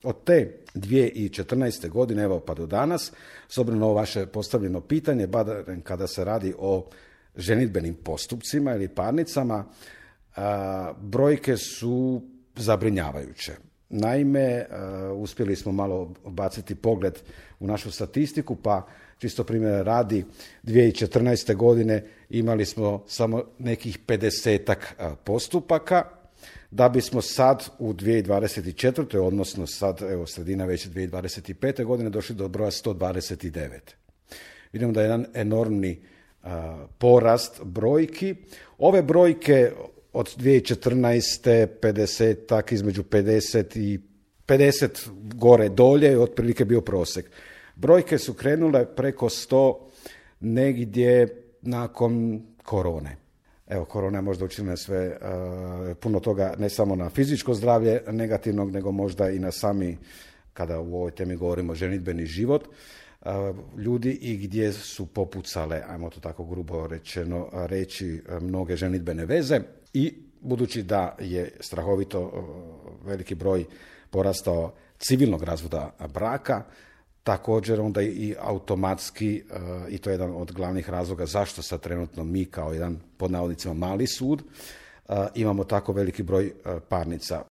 Od te 2014. godine, evo pa do danas, s obzirom na ovo vaše postavljeno pitanje, barem kada se radi o ženidbenim postupcima ili parnicama, brojke su zabrinjavajuće. Naime, uspjeli smo malo baciti pogled u našu statistiku, pa čisto primjera radi, 2014. godine imali smo samo nekih 50-ak postupaka, da bismo sad u 2024. odnosno sad, evo sredina već 2025. godine došli do broja 129. Vidimo da je jedan enormni porast brojki. Ove brojke od 2014. 50-ak, između 50 i 50 gore dolje, otprilike bio prosjek. Brojke su krenule preko 100 negdje nakon korone. Evo, korona je možda učinila sve, puno toga, ne samo na fizičko zdravlje negativnog, nego možda i na sami, kada u ovoj temi govorimo, ženidbeni život ljudi i gdje su popucale, ajmo to tako grubo rečeno reći, mnoge ženidbene veze. I budući da je strahovito veliki broj porastao civilnog razvoda braka, također onda i automatski, i to je jedan od glavnih razloga zašto sad trenutno mi kao jedan, pod navodnicima, mali sud, imamo tako veliki broj parnica.